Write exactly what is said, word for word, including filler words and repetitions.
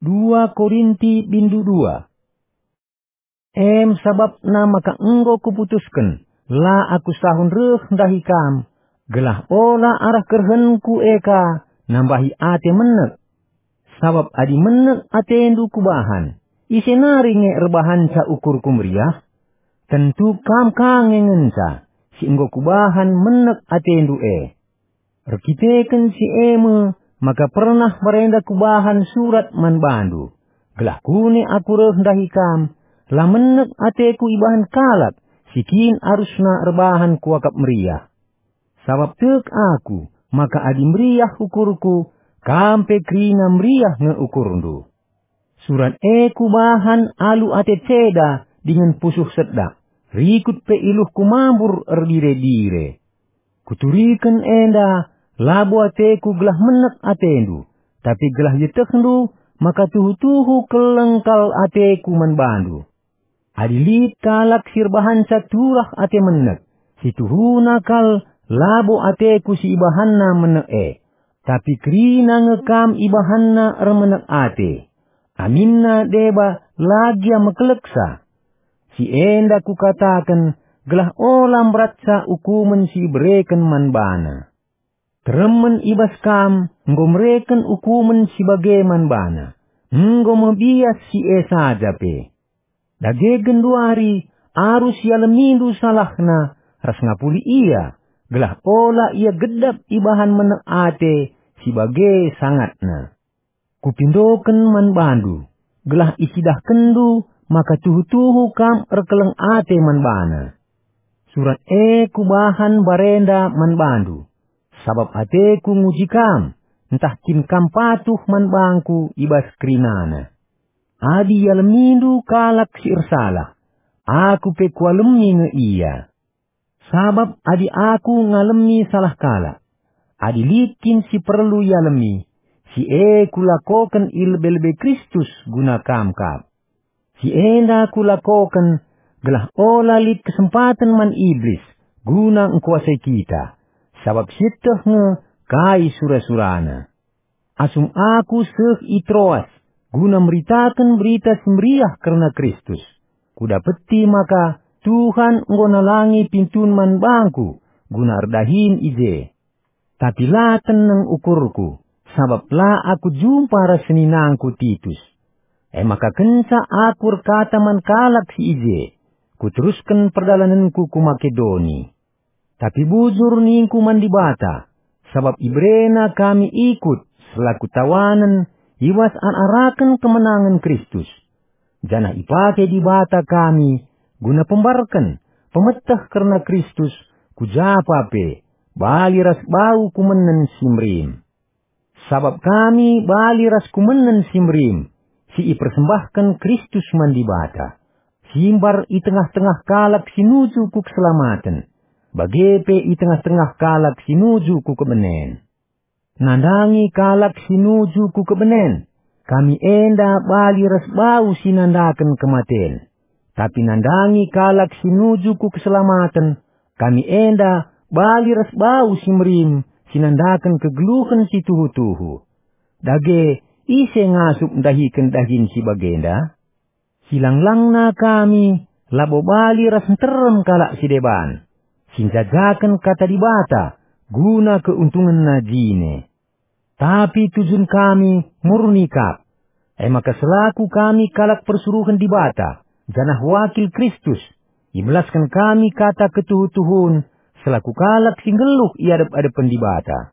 Dua Korinti bindu dua. Em sabapna maka enggo kuputusken, la aku sahun reh ndahi kam, gelah ola arah kerehenku e ka nambahi ate menek. Sabap adi menek atendu kubahan, ise nari nge erbahanca ukurku meriah? Tentu kam ka nge ngenca, si enggo kubahan menek atendu e. Erkiteken si e me maka pernah mbarenda kubahan surat man bandu, gelah kune aku reh ndahi kam, la menek ateku ibahan kalak si kin arusna erbahan kuakap meriah. Sabap tek aku maka adi meriah ukurku, kam pe kerina meriah nge ukurndu. Surat e kubahan alu ate ceda dingen pusuh sedak, rikut pe iluhku mambur erdire-dire. Kuturiken enda labo ateku gelah menek atendu, tapi gelah ietehndu maka tuhu-tuhu keleng kal ateku man bandu. Adi lit kalak si erbahanca turah ate menek, si tuhuna kal labo ateku si ibahanna menek e, tapi kerina nge kam ibahanna ermenek ate. Aminna deba la gia mekeleksa. Si enda kukataken gelah ola mberatca ukumen si ibereken man bana. Teremen i bas kam enggo mereken ukumen si bage man bana, enggo me bias si e saja pe. Dage genduari arus ialemindu salahna ras ngapuli ia, gelah ola ia gedap ibahan menek ate si bage sangatna. Kupindoken man bandu, gelah icidahkenndu maka tuhu-tuhu kam erkeleng ate man bana. Surat e kubahan mbarenda man bandu, sabap ateku nguji kam, ntah kin kam patuh man bangku i bas kerinana. Adi ialemindu kalak si ersalah, aku pe kualemi nge ia. Sabap adi aku ngalemi salah kalak, adi lit kin si perlu ialemi, si e kulakoken i lebe-lebe Kristus guna kam kap. Si enda kulakoken gelah ola lit kesempaten man Iblis guna engkuasai kita, sabap sieteh nge kai sura-surana. Asum aku seh i Troas guna meritaken Berita Si Meriah kerna Kristus, kudapeti maka Tuhan enggo nalangi pintun man bangku guna erdahin i je. Tapi la teneng ukurku, sabap la aku jumpa ras seninangku Titus. E maka kenca aku erkata man kalak si i je, kuterusken perdalanenku ku Makedoni. Tapi bujur ningku man Dibata, sabap iberena kami ikut selaku tawanen i bas arak-araken kemenangen Kristus. Janah ipake Dibata kami guna pembarken, pemeteh kerna Kristus, ku japa pe, bali ras bau kumenen si merim. Sabap kami bali ras kumenen si merim, si ipersembahken Kristus man Dibata, si mbar i tengah-tengah kalak si nuju ku keselamaten, bage pe i tengah-tengah kalak si nuju ku kebenen. Nandangi kalak si nuju ku kebenen, kami enda bali ras bau si nandaken kematen. Tapi nandangi kalak si nuju ku keselamaten, kami enda bali ras bau si merim si nandaken kegeluhen si tuhu-tuhu. Dage, ise ngasup ndahiken dahin si bagenda? Silang-langna kami labo bali ras nterem kalak si deban, si njajaken Kata Dibata guna keuntungenna jine. Tapi tujun kami murni kap. E maka selaku kami kalak persuruhen Dibata, janah wakil Kristus, ibelasken kami kata ketuhu-tuhun selaku kalak si nggeluh i adep-adepen Dibata.